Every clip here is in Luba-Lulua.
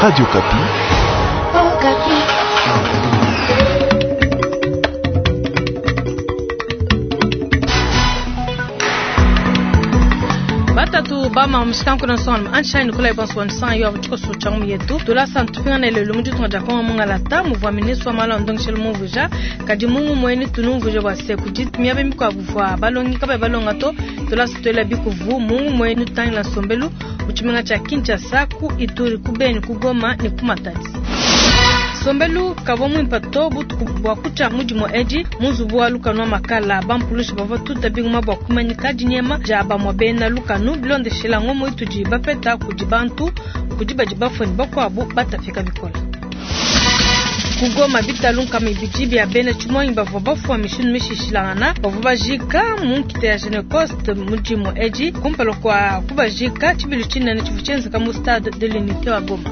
Radio Okapi. Batatu bama mushikanku na nsonga anshai nikolai bonso wansan yo tshikoso tshia mu yetu tulasa ntupingana lelo mu ditunga dia kongo mungalata muvua ministre wa malu a ndongeshelu mumvuija kadi mungu mueni tunumvuija bua se kudi miaba mikuabu vua balongi kabayi balonga to tulasa tuela bikuvu mungu mueni tutangila nsombelu mu tshimenga tshia Kinshasa ku Ituri ku Beni ku Goma ne ku Matadi. Nsombelu kavua muimpe to butuku bua kutshia mu dimue edi mu nzubu wa lukanu wa makala. Bampulushi bavua batuta bingoma bua kumanyika dinyema dia bamue bena lukanu bilondeshila ngumu itudi bapeta kudi bantu kudi badi bafue ne bakuabu batapika bikole. Ku Goma, bitalu 200 bia bena tshimuangi bavua bafua mishindu mishishilangana bavua bajika mu nkita ya Genocost mu dimue edi kumpala kua kubajika. Tshibilu tshinene tshivua tshienzeka mu stade de l'unité wa Goma.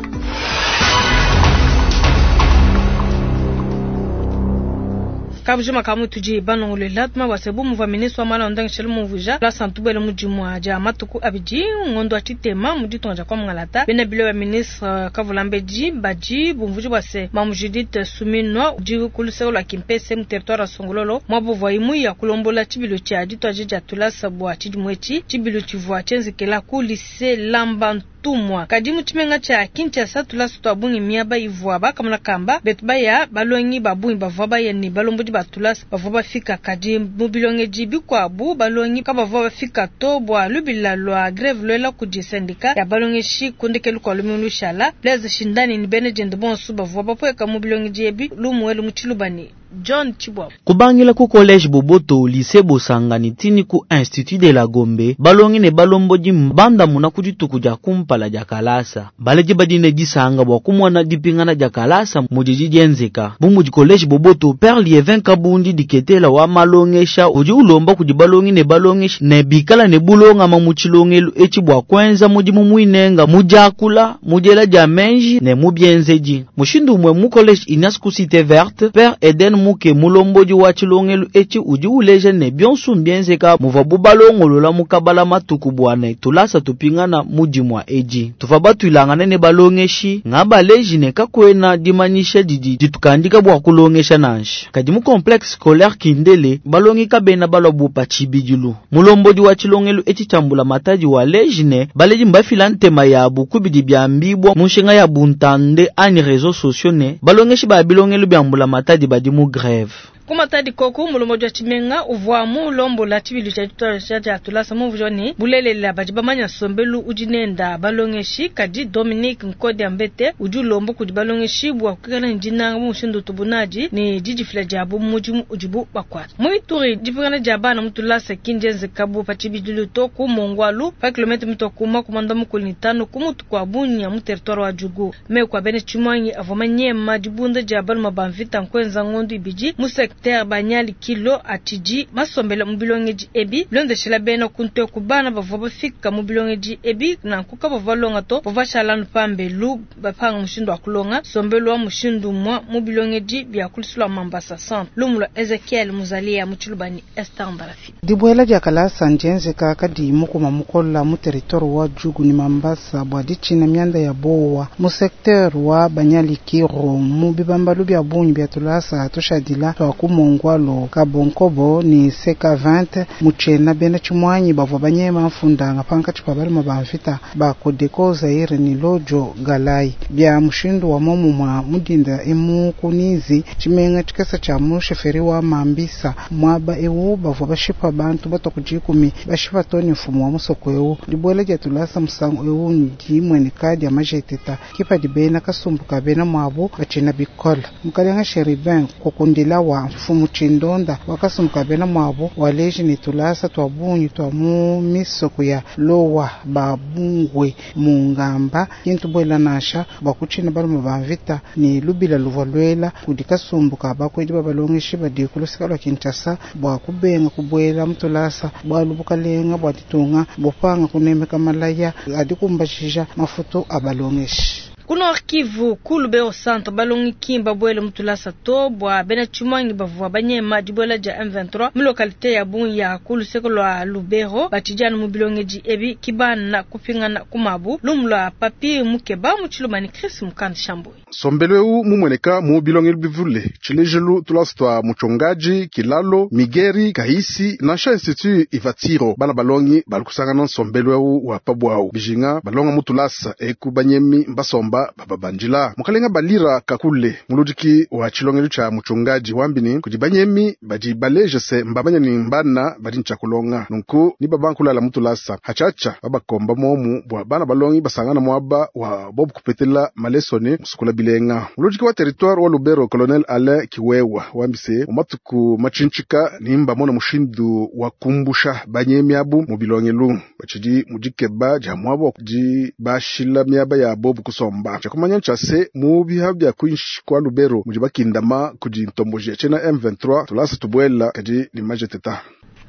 Kabujima ka mutudi banongolola tuma bua se bu muvua ministre wa malu a ndongeshelu mumvuija tulasa ntubuele mu dimue dia matuku abidi ngondo wa tshitema mu ditunga dia kwa Mungalata. Bena bilo ba ministre Kavulambedi badi bumvuija bua se Mamu Judith Suminwa udi ku luseke lua Kimpese mu territoire wa Songololo muaba uvuaye muya kulombola tshibilu tshia dituadija dia tulasa bua tshidimu etshi. Tshibilu tshivua tshienzekela ku lycée Lamba Ntumwa. Kadi mu tshimenga tshia Kinshasa tulasa tua bungi miaba ivua bakamona kamba betu baya, balongi ba bungi bavua baya ne balombodi ba tulasa bavua bafika. Kadi mu bilongedi bikuabu balongi kabavua bafika to bua lubila lua greve luela kudi syndicat ya balongeshi ku ndekelu kua lumingu lushala. Blaise Shindani ne bena diende bonso bavua bapueka mu bilongedi ebi lumu elu mu tshiluba ne John Tshibwabwa. Kubangila ku Collège Boboto, Lycée Bosanga ne tini ku Institut de la Gombe, balongi ne balombodi mbandamuna ku dituku dia kumpala dia kalasa. Baledi badi ne disanka bua kumona dipingana dia kalasa mudidi dienzeka. Bu mudi Collège Boboto, Père Lievin Kabundi diketela wa malongesha udi ulomba kudi balongi ne balongeshi ne bikala ne bulongama mu tshilongelu etshi bua kuenza mudimu muinenga mu diakula, mu diela dia menji ne mu bienzedi. Mushindu umue mu Collège Ignace ku Cité Verte, Père Eden Muke mulombodi wa tshilongelu etshi udi uleja ne bionso mbienzeka muvuabu balongolola mu kabala matuku bua ne tulasa tupingana mu dimue edi. Tuvua batuilangane ne balongeshi ngabaleji ne kakuena dimanyisha didi ditukandika bua kulongesha nansha. Kadi mu complexe scolaire Kindele balongi kabena balua bu pa tshibidilu. Mulombodi wa tshilongelu etshi tshia mbulamatadi waleji ne baledi mbafila ntema yabu ku bidi biambibua mu nshinga ya buntande anyi réseaux sociaux ne balongeshi ba bilongelu bia mbulamatadi badi mu grève. Ku Matadi koku mulombodi wa tshimenga uvua mulombola tshibilu tshia dituadija dia tulasa mumvuija ne bulelela badi bamanya nsombelu udi nenda balongeshi. Kadi Dominique Nkodia Mbete udi ulomba kudi balongeshi bua kuikala ne dinanga mu mushindu utubu nadi ne didifila diabu mu mudimu udibu bakuata. Mu Ituri, dipingana dia bana mu tulasa ki ndienzeka bu pa tshibidilu to ku Mongwalu pa kilomètre mitua ku 95 ku mutu kua Bunia mu territoire wa Djugu. Meku a bena tshimuangi avua manyema dibunda dia baluma ba mvita nkuenza ngondu ibidi mu secteur Banyali Kilo atshidi masombela mu bilongedi ebi bilondeshela bena kunteku bana bavua bafika mu bilongedi ebi nanku kabavua balonga to bavua bashala anu pambelu bapanga mushindu wa kulonga nsombelu wa mushindu umue mu bilongedi bia ku luseke lua Mambasa Centre. Lumu lua Ezekiel Muzalia mu Tshiluba ne Esther Ndalafi. Dibuela dia kalasa ndienzeka kadiyi mukuma mukola mu territoire wa Djugu ne Mambasa bua ditshina mianda ya bowa mu secteur wa Banyalikiro mu bibambalu bia bungi bia tulasa tushadila tua ku Mongwalu, Kabonkobo ne CK20 mu tshiena bena tshimuanyi bavua banyema mfundanga pankatshi pa baluma ba mvita ba Codeco Zaire ne Lojo Galai bia mushindu wa momumua mu dinda emu ku Nizi tshimenga tshikese tshia mu chefferie wa Mambisa muaba ewu bavua bashipa bantu batua ku dikumi bashipa to ne mfumu wa musoko ewu. Dibuela dia tulasa musangu ewu ndimueneka dia majeteta kipadi bena kasumbu ka bena muabu batshina bikole. Mukalenga Cherubin kukundila wa mfumu tshindonda wa kasumbu ka bena muabu waleji ne tulasa tua bungi tua mu misoko ya Lowa Babungwe Mungamba kintu buela nansha bua kutshina balume ba mvita ne lubila luvua luela kudi kasumbu ka bakwedi ba balongeshi badi ku luseke lua Kinshasa bua kubenga kubuela mu tulasa bualu bukalenga bua ditunga bupanga kunemeka malaya adi kumbajija mafutu a balongeshi. Ku Nord Kivu, ku Lubero Centre, balongi ki mbabuele mu tulasa to bua bena tshimuangi bavua banyema dibuela dia M23 mu localité ya bungi ya ku luseke lua Lubero batshidi anu mu bilongedi ebi ki bana kupingana ku mabu. Lumu lua Papi Mukeba mu Tshiluba ne Chris Mukand Shambui. Nsombelu eu mumueneka mu bilongelu bivule tshilejelu tulasa tua Muchongaji, Kilalo, Migeri, Kahisi nansha Institut Ivatiro bana balongi bali kusangana nsombelu eu wa pabwawu bijinga balonga mu tulasa eku banyemi mbasomba bababandila mukalenga balira kakule muludiki wa tshilongelu tshia Muchongaji wambini kudi banyemi badi baleje se mbamanya ni mbana badi ntshakulonga nunku ni babankulala mu tulasa hatshatsha babakomba momu bua bana balongi basangana muaba wa bobu kupetela malesoni musukula bilenga muludiki wa territoire wa Lubero colonel Alain Kiwewa wambise mumatuku machinchika nimba mona mushindu wa kumbusha banyemi abu mu bilongelu bachidi mudikeba dia muaba di bashila miaba ya bobu kusomba chakumanya nchase mu biha bya kwinshi kwa Lubero mudi bakindama kudi ntomboji tshena M23 tulasa tubuela kadi ni majeteta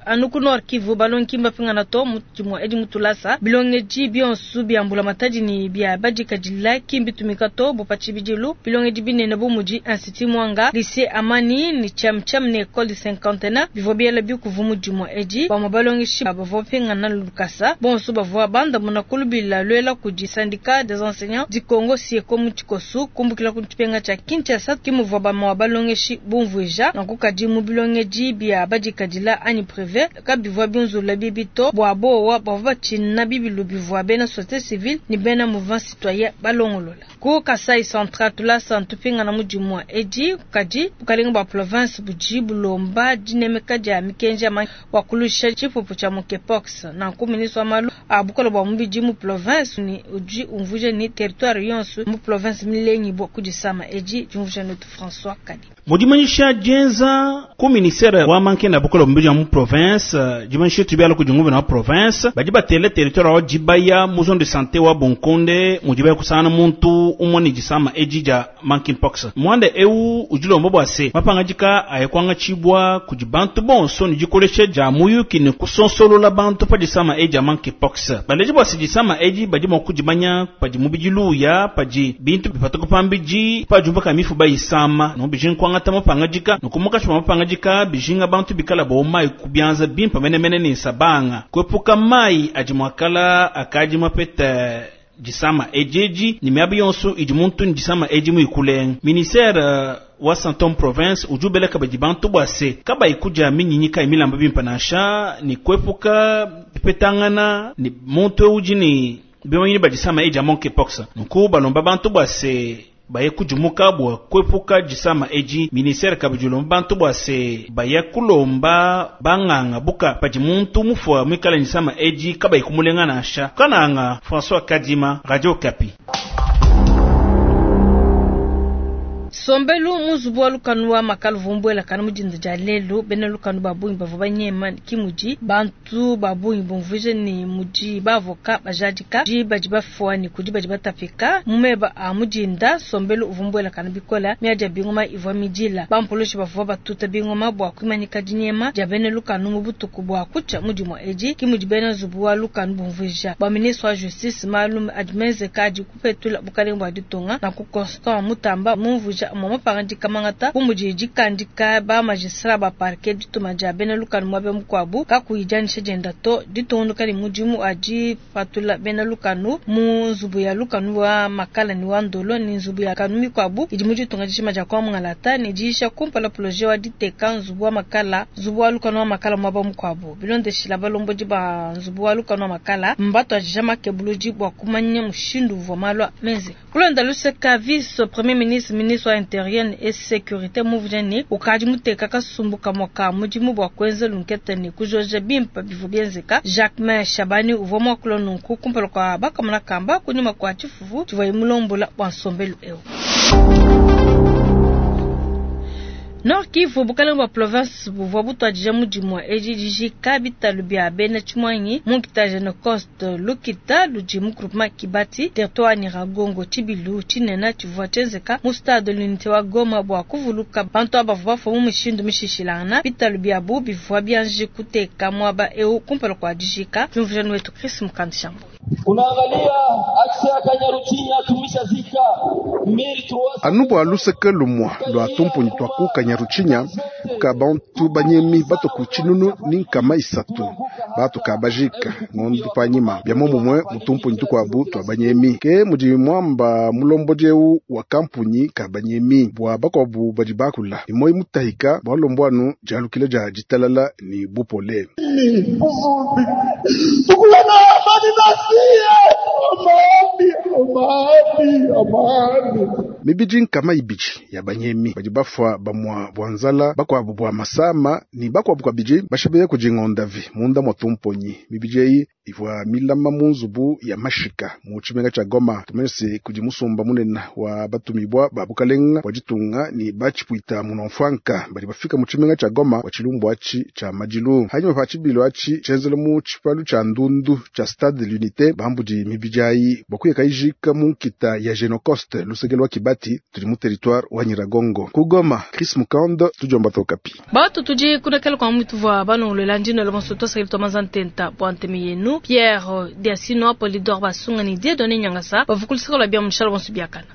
Anu ku Nord Kivu balongi mbapingana to mu dimue edi mu tulasa bilongedi bionso bia mbulamatadi ne bia badikadila ki mbitumika to bo pa tshibidilu bilongedi binene bu mudi Institut Mwanga, Lycée Amani ne Tshiamtshiam ne Ecole du Cinquantenaire bivua biela bikuvu mu dimue edi. Bamue balongeshi bavua bapingana lukasa bonso bavua bandamuna ku lubila luela kudi syndicat des enseignants du Congo SYECO mu tshikosu kumbukila ku tshipenga tshia Kinshasa ki muvua bamue balongeshi bumvuija nanku kadi mu bilongedi bia badikadila anyi privé kabivua binzula bibi to bua bowa bavua batshina bibilu bivua bena société civile ne bena mouvement citoyen balongolola. Ku Kasai Central tulasa ntupingana mu dimue edi kadi bukalenga bua province budi bulomba dinemeka dia mikenji ya bua kulusha tshipupu tshia monkeypox. Nanku ministre wa malu a bukole bua mubidi mu province ni udi umvuija ni territoire yonso mu province milengi bua kudisama edi diumvuija netu François Kadi. Mudimanyisha dienza ku ministère wa mankenda bukole bua mubidi mu province dimanyisha tubiala ku dinguvena wa province badi batele territoire wa dibaya mu zone de santé wa Bonkonde mudi baya kusangana muntu umwe ne disama edi dia monkeypox. Mwanda eu udilomba bua se mapangadika ayekwanga tshibwa kudi bantu bonso ne dikolesha dia muyuki ne kusonsolola bantu pa disama edi dia monkeypox. Baleji bua se disama edi badi mua kudimanya padi mubidi luya padi bintu bipatuka pambidi padi ka mifu bayisama no bijinga kwangata mapangadika nokumuka tshima mapangadika bijinga bantu bikala bo mai kubianza bimpa menemene ne sabanga kwepuka mai adi mwakala akadi mapete disama ejeji ni miaba yonso idi muntu ni disama edi muikulenga. Ministère wa Santom province ujubeleka badi bantu bua se kabayi kudia minyinyi kayi milamba bimpa nansha ni kwepuka bipetangana ni muntu udi ni bimanyini badisama edi ya monkeypox. Nunku balomba bantu bua se baye kudimuka bua kwepuka disama edi. Ministère kabidi ulomba bantu bua se baye kulomba banganga buka padi muntu mufua muikala disama edi kabayi kumulenga nansha. Kananga François Kadima, Radio Okapi. Sombelu muzubu wa lukanu wa makalu vumbuela kana mudinda dia lelu bena lukanu babungi bavua banyema kimudi bantu babungi bumvuije ni mudi bavoka bajadika di badi bafua ni kudi badi batapika mumeba a mudinda sombelu uvumbuela kana bikola miadi bingoma ivua midila bampoloshi bavua batuta bingoma bua kwimanyika dinyema dia bena lukanu mu butuku bua kucha mudimo edi kimudi bena zubu wa lukanu bumvuija bua ministre wa justice malum admeze kadi kupetula bukalenga bua ditunga na ku Constant Mutamba mumvuija mama pangandika mangata bumudi dikandika ba magistrat ba parquet dituma dia bena lukanu mwabe mukwabu kakuyijanisha dienda to ditungunuka ne mudimu adi patula bena lukanu mu nzubu ya lukanu wa makala ni wa ndolo ni nzubu ya kanu mikwabu idi mu ditunga dishima dia kwa mungalata ne diisha kumpala projet wa diteka nzubu wa makala nzubu wa lukanu wa makala mwaba mukwabu bilondeshila balombodi ba nzubu wa lukanu wa makala mbato ajija makebuludi bua kumanya mushindu uvua malwa menze kulonda luseka vice premier ministre ministre wa intérieur et sécurité muvujani ukadi muteka kasumbu kamwaka mudimu bua kuenza lunketa ne kujoja bimpa bivu bienzeka Jacquemain Shabani uvua muakula nunku kumpala kua bakamona kamba kunyuma kua tshifufu tshivua mulombola bua nsombelu eu. Nord Kivu bukalenga bua province buvua butuadija mudimu edi dijika bitalu bia bena tshimuangi mu nkita Genocost lukita ludi mu groupement Kibati territoire Nyiragongo tshibilu tshinene tshivua tshienzeka mu stade de l'unité wa Goma bua kuvuluka bantu aba bavua bafua mu mishindu mishishilangana bitalu biabu bivua bianji kuteka muaba eu kumpala kua dijika. Tumvujani wetu Chris Mukandishambo. Unaangalia axe ya Kanyaruchinya tumisha Anu bua luseke lumua lua tumpunyi tua ku Kanyaruchinya ka bantu banyemi bato ku tshinunu ni nkama isatu batu ka bajika ngondu panyima bia momumue mu tumpunyi tukuabu tua banyemi ke mudi muamba mulombodi eu wa kampunyi ka banyemi bua bakuabu badi bakula ni moyi mutahika bua lombo anu dialukila dia ditalala ni bupole. Mibidi nkama ibidi ya banyemi badi bafua bamua bua nzala bakuabu bua masama ni bakuabu kabidi bashabeya kudi ngondavi munda mwa tumponyi. Mibidi eyi ivua milama mu nzubu ya mashika mu tshimenga tshia Goma. Tumanye kudi musumba munene wa batumibua ba bukalenga bua ditunga ni batshipuita munomfwanka badi bafika mu tshimenga tshia Goma wa tshilumbu atshi tshia madilu. Hanyuma pa tshibilo atshi tshienzela mu tshipalu tshia ndundu tshia Stade de l'Unité bambudi mibidi ayi bua kuyeka ijika mu nkita ya Genocost luseke lwa Kibati tudi mu territoire wa Nyiragongo. Ku Goma, Chris Mukando, tudiomba Okapi. Batu tudi kunekela kwa mwitu vua banongolola ndino la bonso tosakili tomanza ntenta bua nteme yenu Pierre Diasino Polidor Basunga ni Dieudonné Nyangasa bavukulisaka lwa bia mushala bonso biakana.